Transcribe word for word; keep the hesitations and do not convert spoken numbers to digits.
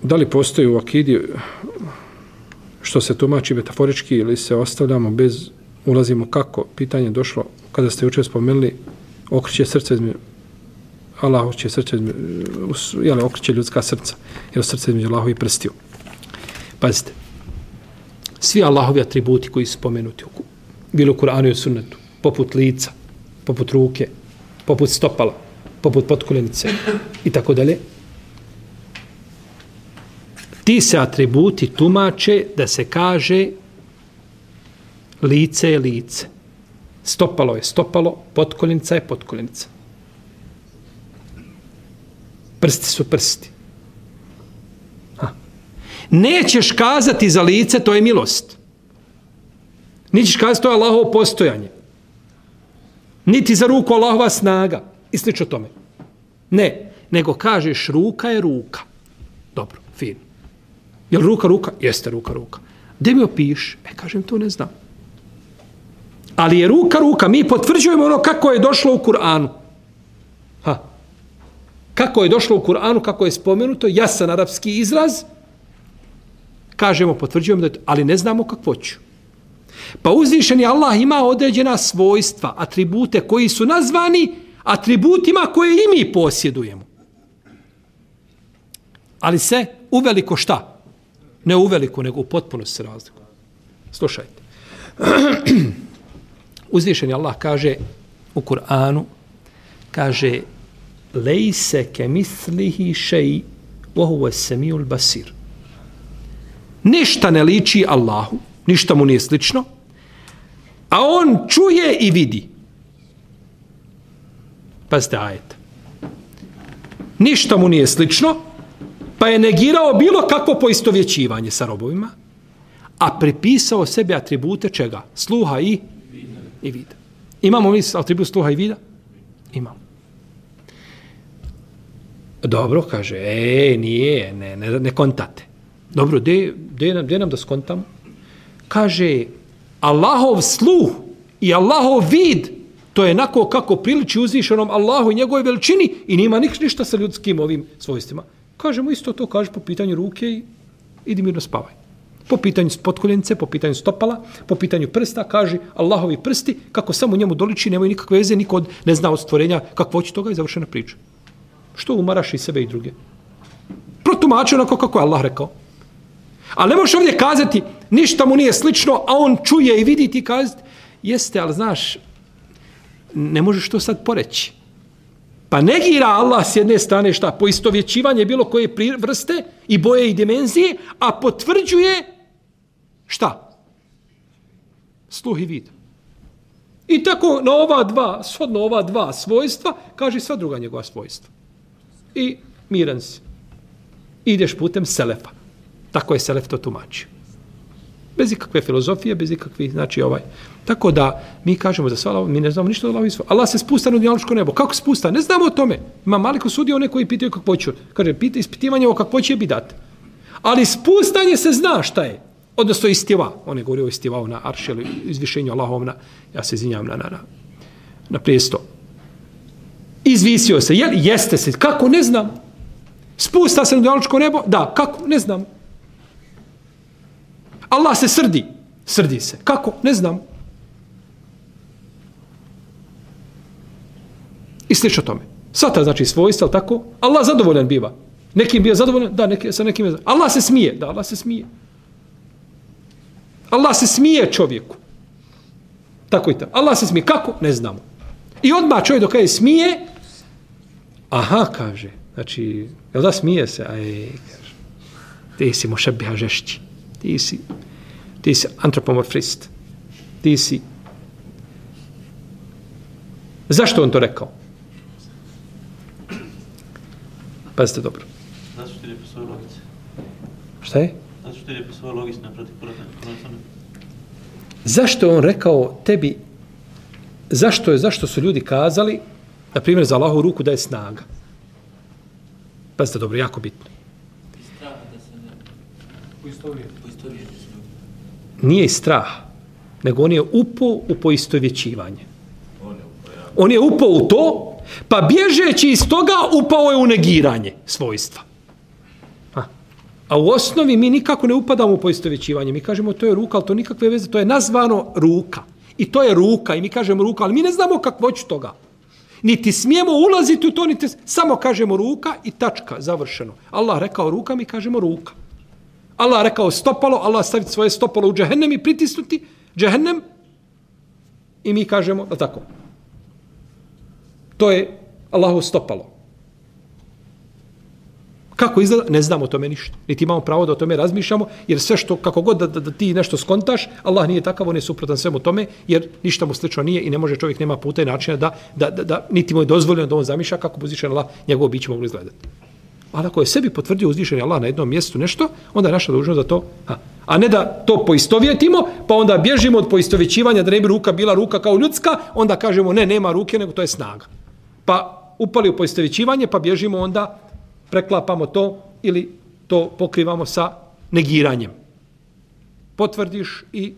da li postoji u akidi što se tumači metaforički ili se ostavljamo bez, ulazimo kako? Pitanje je došlo kada ste jučer spomenuli okreće srce između Allah će srce jel, okreće ljudska srca jer srce između Allahovi prstiju. Pazite, svi Allahovi atributi koji su spomenuti bilo u Kur'anu i u sunnetu, poput lica, poput ruke, poput stopala, poput potkoljenice i tako dalje, ti se atributi tumače da se kaže lice je lice, stopalo je stopalo, potkoljenica je potkoljenica. Prsti su prsti. Ha. Nećeš kazati za lice, to je milost. Nećeš kazati, to je Allahovo postojanje. Niti za ruku Allahova snaga. I slično tome. Ne, nego kažeš ruka je ruka. Dobro, fin. Je li ruka ruka? Jeste ruka ruka. Gde mi opiš? E, kažem, to ne znam. Ali je ruka ruka. Mi potvrđujemo ono kako je došlo u Kur'anu. Ha. Kako je došlo u Kur'anu, kako je spomenuto, jasan arapski izraz, kažemo, potvrđujemo da je to, ali ne znamo kakvoću. Pa uzvišeni Allah ima određena svojstva, atribute koji su nazvani atributima koje i mi posjedujemo. Ali se uveliko šta? Ne uveliko, nego u potpunosti se razlikuje. Slušajte. Uzvišeni Allah kaže u Kur'anu, kaže lejse ke mislihi šeji vohu semijul basir. Ništa ne liči Allahu, ništa mu nije slično, a on čuje i vidi. Pazite ajet. Ništa mu nije slično, pa je negirao bilo kakvo poistovjećivanje sa robovima, a pripisao sebe atribute čega? Sluha i, i vida. Imamo mi atribut sluha i vida? Imamo. Dobro, kaže, e, nije, ne, ne, ne kontate. Dobro, de, de, nam, de nam da skontamo? Kaže, Allahov sluh i Allahov vid, to je onako kako priliči uzvišenom Allahu i njegove veličini i nima ništa sa ljudskim ovim svojstvima. Kažemo isto to, kaže po pitanju ruke i idi mirno spavaj. Po pitanju potkoljenice, po pitanju stopala, po pitanju prsta, kaže Allahovi prsti, kako samo njemu doliči, nemaju nikakve veze, niko od, ne zna od stvorenja kakvo će toga i završena priča. Što umaraš i sebe i druge? Protumači onako kako je Allah rekao. Ali ne možeš ovdje kazati, ništa mu nije slično, a on čuje i vidi ti kazati, jeste, ali znaš, ne možeš to sad poreći. Pa negira Allah s jedne strane šta? Poistovjećivanje bilo koje vrste i boje i dimenzije, a potvrđuje šta? Sluh i vid. I tako na ova dva, shodno ova dva svojstva, kaže sva druga njegova svojstva. I miran si. Ideš putem selefa. Tako je selef to tumačio. Bez ikakve filozofije, bez ikakvih, znači ovaj. Tako da mi kažemo za svala, mi ne znamo ništa od Allahovi svojstva. Allah se spusta na dunjalučko nebo. Kako spusta? Ne znamo o tome. Ima Malik osudio one koji pitaju kakvoću. Kaže, pita ispitivanje o kakvoći je bidat. Ali spustanje se zna šta je. Odnosno istiva. On je govorio o istivao na arši, ili izvišenju Allahov na, ja se izvinjam, na, na, na, na prijesto. Izvisio se. Je, jeste se. Kako? Ne znam. Spusta se na dunjalučko nebo? Da. Kako? Ne znam. Allah se srdi. Srdi se. Kako? Ne znam. I slično tome. Svata znači svojstva, ali tako? Allah zadovoljan biva. Nekim bio zadovoljan? Da, neki, sa nekim je zadovoljan. Allah se smije. Da, Allah se smije. Allah se smije čovjeku. Tako i tako. Allah se smije. Kako? Ne znamo. I odmah čovjek dok je smije, aha, kaže. Znači, jel da smije se? Aj, kaže. Ti si mošebiha žešći. Ti si, ti si antropomorfist. Ti si. Zašto on to rekao? Pazite dobro. Zato što je po svojoj logici. Šta je? Zato što je po svojoj logici naproti Kur'ana. Zašto je on rekao tebi, zašto je, zašto su ljudi kazali, na primjer, za Allahovu ruku da je snaga? Pazite dobro, jako bitno. Nije strah, nego on je upao u poistovjećivanje. On je upao u to, pa bježeći iz toga upao je u negiranje svojstva. Ha. A u osnovi mi nikako ne upadamo u poistovjećivanje. Mi kažemo to je ruka, ali to nikakve veze, to je nazvano ruka. I to je ruka i mi kažemo ruka, ali mi ne znamo kakvoću toga. Niti smijemo ulaziti u to, niti samo kažemo ruka i tačka, završeno. Allah rekao ruka, mi kažemo ruka. Allah rekao stopalo, Allah staviti svoje stopalo u džehennem i pritisnuti džehennem i mi kažemo, da tako. To je Allahovo stopalo. Kako izgleda? Ne znamo o tome ništa. Niti imamo pravo da o tome razmišljamo, jer sve što, kako god da, da, da ti nešto skontaš, Allah nije takav, on je suprotan svemu tome, jer ništa mu slično nije i ne može čovjek, nema puta i načina da, da, da, da niti mu je dozvoljeno da on zamišlja kako bi uzvišen Allah njegovo biće moglo izgledati. Ali ako je sebi potvrdio uzvišeni Allah na jednom mjestu nešto, onda je naša dužnost da to, ha, a ne da to poistovjetimo, pa onda bježimo od poistovjećivanja, da ne bi ruka bila ruka kao ljudska, onda kažemo ne, nema ruke, nego to je snaga. Pa upali u poistovjećivanje, pa bježimo onda, preklapamo to ili to pokrivamo sa negiranjem. Potvrdiš i